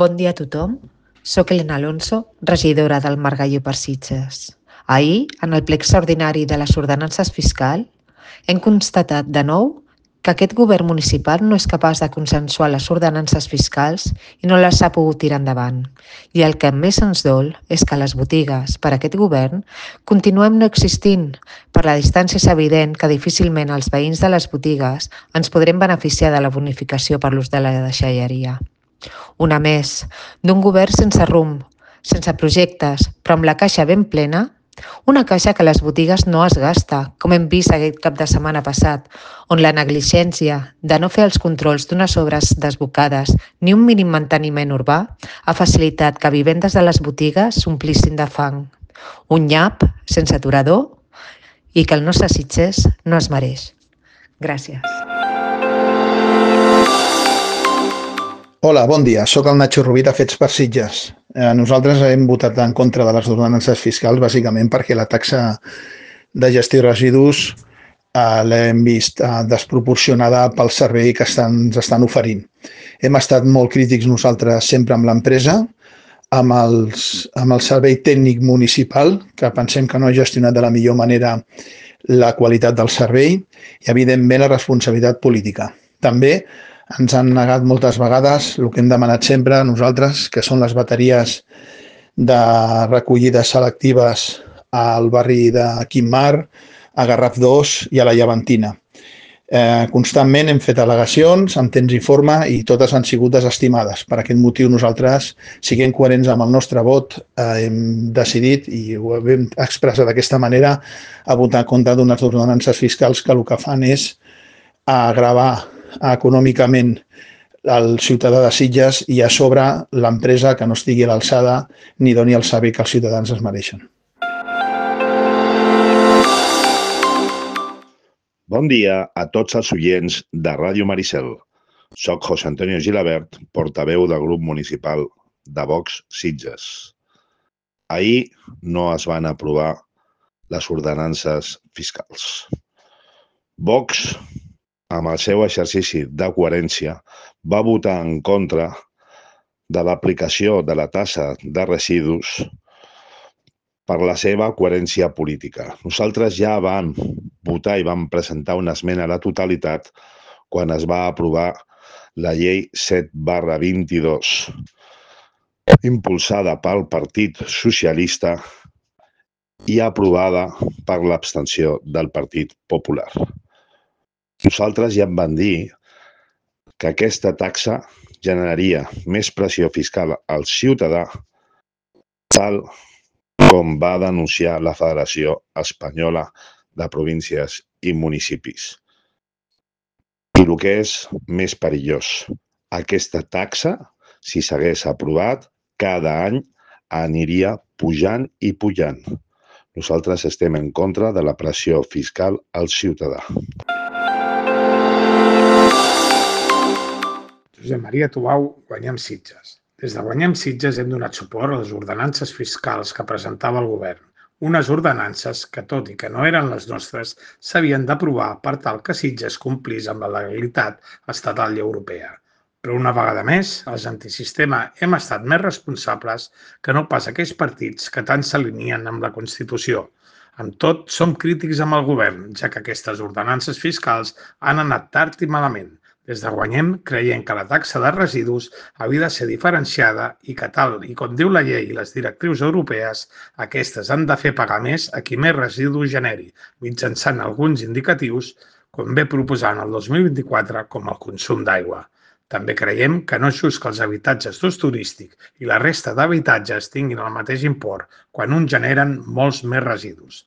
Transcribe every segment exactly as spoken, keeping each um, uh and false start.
Bon dia a tothom. Soc Elena Alonso, regidora del Margalló per Sitges. Ahir, en el ple extraordinari de les ordenances fiscal, hem constatat de nou que aquest govern municipal no és capaç de consensuar les ordenances fiscals i no les ha pogut tirar endavant. I el que més ens dol és que les botigues, per aquest govern, continuem no existint. Per la distància és evident que difícilment els veïns de les botigues ens podrem beneficiar de la bonificació per l'ús de la deixalleria. Una més, d'un govern sense rumb, sense projectes, però amb la caixa ben plena, una caixa que a les botigues no es gasta, com hem vist aquest cap de setmana passat, on la negligència de no fer els controls d'unes obres desbocades ni un mínim manteniment urbà ha facilitat que vivendes de les botigues s'omplissin de fang. Un nyap sense aturador i que el nostre Sitges no es mereix. Gràcies. Hola, bon dia. Soc el Nacho Rovira, Fets per Sitges. Eh, nosaltres hem votat en contra de les ordenances fiscals bàsicament perquè la taxa de gestió de residus eh, l'hem vist eh, desproporcionada pel servei que estan, ens estan oferint. Hem estat molt crítics nosaltres sempre amb l'empresa, amb, els, amb el servei tècnic municipal, que pensem que no ha gestionat de la millor manera la qualitat del servei i, evidentment, la responsabilitat política. També ens han negat moltes vegades el que hem demanat sempre a nosaltres, que són les bateries de recollides selectives al barri de Quim-Mar, a Garraf dos i a la Llevantina. Eh, constantment hem fet al·legacions en temps i forma i totes han sigut desestimades. Per aquest motiu nosaltres, siguent coherents amb el nostre vot, eh, hem decidit, i ho hem expressat d'aquesta manera, a votar en contra d'unes ordenances fiscals que el que fan és agravar econòmicament el ciutadà de Sitges i a sobre l'empresa que no estigui a l'alçada ni doni el servei que els ciutadans es mereixen. Bon dia a tots els oients de Ràdio Maricel. Soc José Antonio Gilabert, portaveu del grup municipal de Vox Sitges. Ahir no es van aprovar les ordenances fiscals. Vox, amb el seu exercici de coherència, va votar en contra de l'aplicació de la taxa de residus per la seva coherència política. Nosaltres ja vam votar i vam presentar una esmena a la totalitat quan es va aprovar la llei set barra vint-i-dos, impulsada pel Partit Socialista i aprovada per l'abstenció del Partit Popular. Nosaltres ja em van dir que aquesta taxa generaria més pressió fiscal al ciutadà, tal com va denunciar la Federació Espanyola de Províncies i Municipis. I el que és més perillós, aquesta taxa, si s'hagués aprovat, cada any aniria pujant i pujant. Nosaltres estem en contra de la pressió fiscal al ciutadà. Josep Maria Tubau, Guanyem Sitges. Des de Guanyem Sitges hem donat suport a les ordenances fiscals que presentava el govern. Unes ordenances que, tot i que no eren les nostres, s'havien d'aprovar per tal que Sitges complís amb la legalitat estatal i europea. Però una vegada més, els antisistema hem estat més responsables que no pas aquells partits que tant s'alineen amb la Constitució. Amb tot, som crítics amb el govern, ja que aquestes ordenances fiscals han anat tard i malament. Des de Guanyem creiem que la taxa de residus havia de ser diferenciada i que, tal i com diu la llei i les directrius europees, aquestes han de fer pagar més a qui més residus generi, mitjançant alguns indicatius, com ve proposant el dos mil vint-i-quatre, com el consum d'aigua. També creiem que no és just que els habitatges d'ús turístic i la resta d'habitatges tinguin el mateix import quan uns generen molts més residus.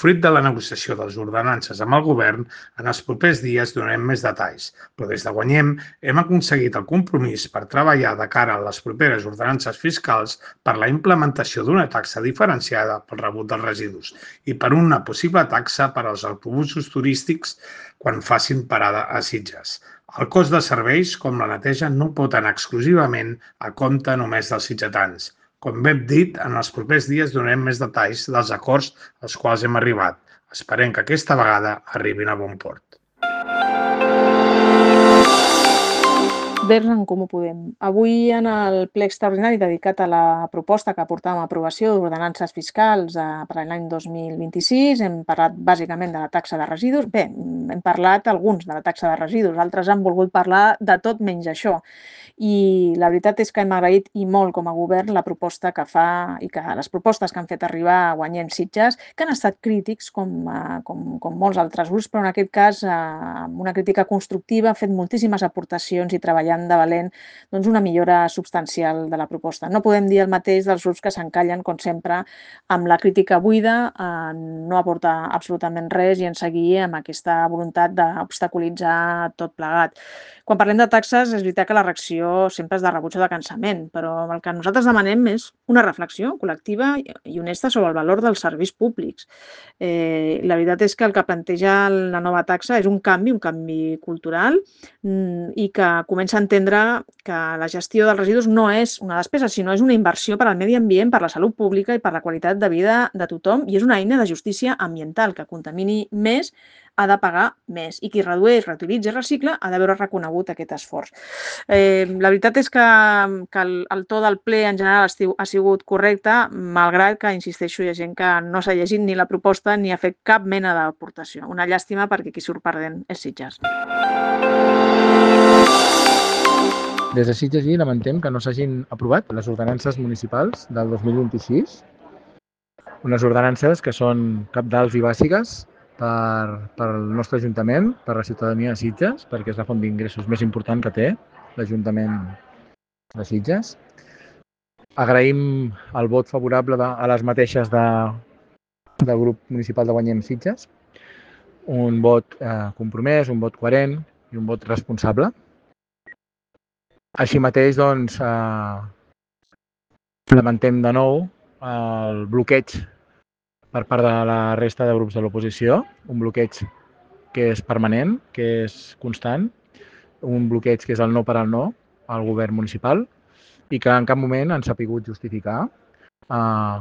Fruit de la negociació de les ordenances amb el govern, en els propers dies donarem més detalls, però des de Guanyem hem aconseguit el compromís per treballar de cara a les properes ordenances fiscals per la implementació d'una taxa diferenciada pel rebut dels residus i per una possible taxa per als autobusos turístics quan facin parada a Sitges. El cost de serveis, com la neteja, no pot anar exclusivament a compte només dels sitgetans. Com hem dit, en els propers dies donarem més detalls dels acords als quals hem arribat. Esperem que aquesta vegada arribin a bon port. Verds en Comú Podem. Avui en el ple extraordinari dedicat a la proposta que portàvem a aprovació d'ordenances fiscals per a l'any dos mil vint-i-sis hem parlat bàsicament de la taxa de residus. Bé, hem parlat alguns de la taxa de residus, altres han volgut parlar de tot menys això. I la veritat és que hem agraït i molt com a govern la proposta que fa i que les propostes que han fet arribar a Guanyem Sitges, que han estat crítics com, com, com molts altres grups, però en aquest cas amb una crítica constructiva, han fet moltíssimes aportacions i treballant de valent doncs, una millora substancial de la proposta. No podem dir el mateix dels grups que s'encallen, com sempre, amb la crítica buida, eh, no aportar absolutament res i en seguir amb aquesta voluntat d'obstaculitzar tot plegat. Quan parlem de taxes, és veritat que la reacció sempre és de rebuig o de cansament, però el que nosaltres demanem és una reflexió col·lectiva i honesta sobre el valor dels serveis públics. Eh, la veritat és que el que planteja la nova taxa és un canvi, un canvi cultural i que comença a entendre que la gestió dels residus no és una despesa, sinó és una inversió per al medi ambient, per la salut pública i per la qualitat de vida de tothom i és una eina de justícia ambiental que contamini més ha de pagar més i qui redueix, reutilitza i recicla ha de veure reconegut aquest esforç. Eh, la veritat és que, que el, el to del ple en general ha sigut correcte, malgrat que, insisteixo, hi ha gent que no s'ha llegit ni la proposta ni ha fet cap mena d'aportació. Una llàstima perquè qui surt perdent és Sitges. Des de Sitges i lamentem que no s'hagin aprovat les ordenances municipals del dos mil vint-i-sis, unes ordenances que són cabdals i bàsiques per, per al nostre Ajuntament, per a la ciutadania de Sitges, perquè és la font d'ingressos més important que té l'Ajuntament de Sitges. Agraïm el vot favorable de, a les mateixes de, del grup municipal de Guanyem Sitges, un vot eh, compromès, un vot coherent i un vot responsable. Així mateix, doncs, eh, lamentem de nou el bloqueig per part de la resta de grups de l'oposició, un bloqueig que és permanent, que és constant, un bloqueig que és el no per al no al govern municipal i que en cap moment han sabut justificar eh,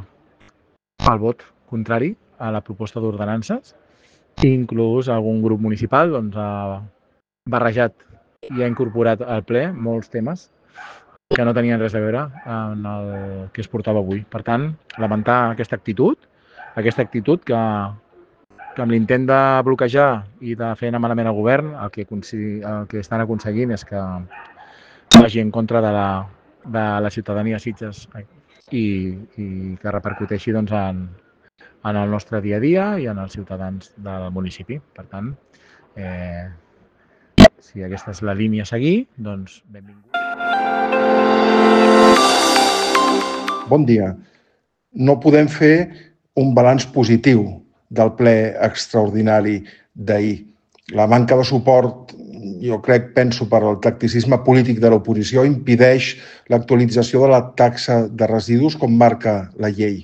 el vot contrari a la proposta d'ordenances. Inclús algun grup municipal doncs, ha barrejat i ha incorporat al ple molts temes que no tenien res a veure en el que es portava avui. Per tant, lamentar aquesta actitud, aquesta actitud que, que amb l'intent de bloquejar i de fer anar malament al govern, el que, el que estan aconseguint és que vagi en contra de la, de la ciutadania de Sitges i, i que repercuteixi doncs, en, en el nostre dia a dia i en els ciutadans del municipi. Per tant, eh, si aquesta és la línia a seguir, doncs benvingut. Bon dia. No podem fer un balanç positiu del ple extraordinari d'ahir. La manca de suport, jo crec, penso, per al tacticisme polític de l'oposició impedeix l'actualització de la taxa de residus com marca la llei.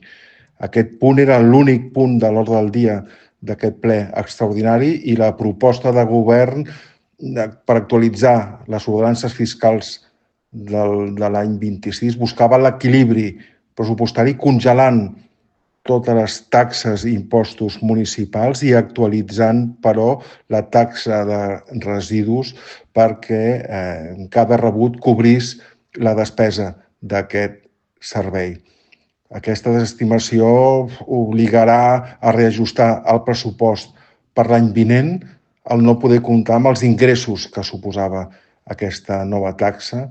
Aquest punt era l'únic punt de l'ordre del dia d'aquest ple extraordinari i la proposta de govern per actualitzar les ordenances fiscals del, de l'any vint-i-sis buscava l'equilibri pressupostari congelant totes les taxes i impostos municipals i actualitzant, però, la taxa de residus perquè eh, cada rebut cobrís la despesa d'aquest servei. Aquesta desestimació obligarà a reajustar el pressupost per l'any vinent al no poder comptar amb els ingressos que suposava aquesta nova taxa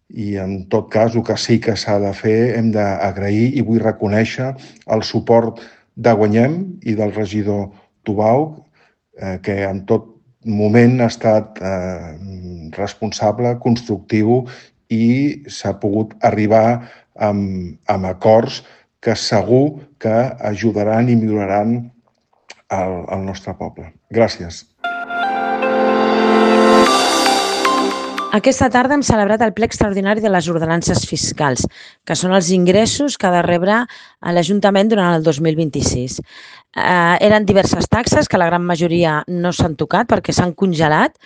i, en tot cas, el que sí que s'ha de fer, hem d'agrair i vull reconèixer el suport de Guanyem i del regidor Tubau, eh, que en tot moment ha estat eh, responsable, constructiu i s'ha pogut arribar amb, amb acords que segur que ajudaran i milloraran el, el nostre poble. Gràcies. Aquesta tarda hem celebrat el ple extraordinari de les ordenances fiscals, que són els ingressos que ha de rebre l'Ajuntament durant el dos mil vint-i-sis. Eh, eren diverses taxes, que la gran majoria no s'han tocat perquè s'han congelat,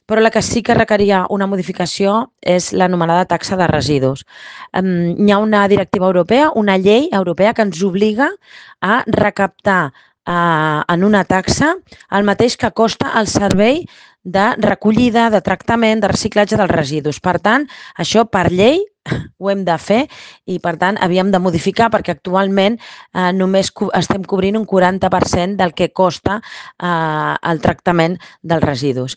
però la que sí que requeria una modificació és l'anomenada taxa de residus. Eh, hi ha una directiva europea, una llei europea que ens obliga a recaptar en una taxa el mateix que costa el servei de recollida, de tractament, de reciclatge dels residus. Per tant, això per llei ho hem de fer i, per tant, havíem de modificar perquè actualment eh, només estem cobrint un quaranta per cent del que costa eh, el tractament dels residus.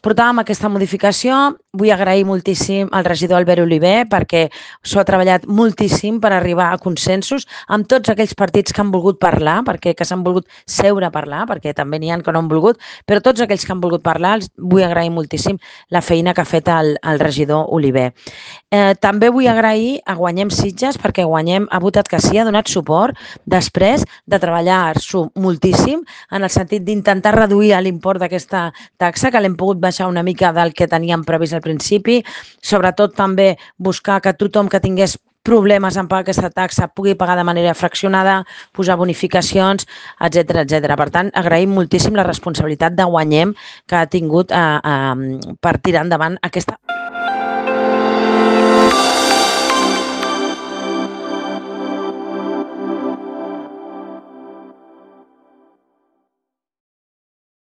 Portàvem aquesta modificació, vull agrair moltíssim al regidor Albert Oliver perquè s'ho ha treballat moltíssim per arribar a consensos amb tots aquells partits que han volgut parlar, perquè que s'han volgut seure a parlar, perquè també n'hi ha que no han volgut, però tots aquells que han volgut parlar els vull agrair moltíssim la feina que ha fet el, el regidor Oliver. Eh, també vull agrair a Guanyem Sitges perquè Guanyem ha votat que sí, ha donat suport després de treballar-s'ho moltíssim en el sentit d'intentar reduir l'import d'aquesta taxa, que l'hem pogut baixar una mica del que teníem previst al principi, sobretot també buscar que tothom que tingués problemes en pagar aquesta taxa pugui pagar de manera fraccionada, posar bonificacions, etcètera, etcètera. Per tant, agraïm moltíssim la responsabilitat de Guanyem que ha tingut eh, eh, per tirar endavant aquesta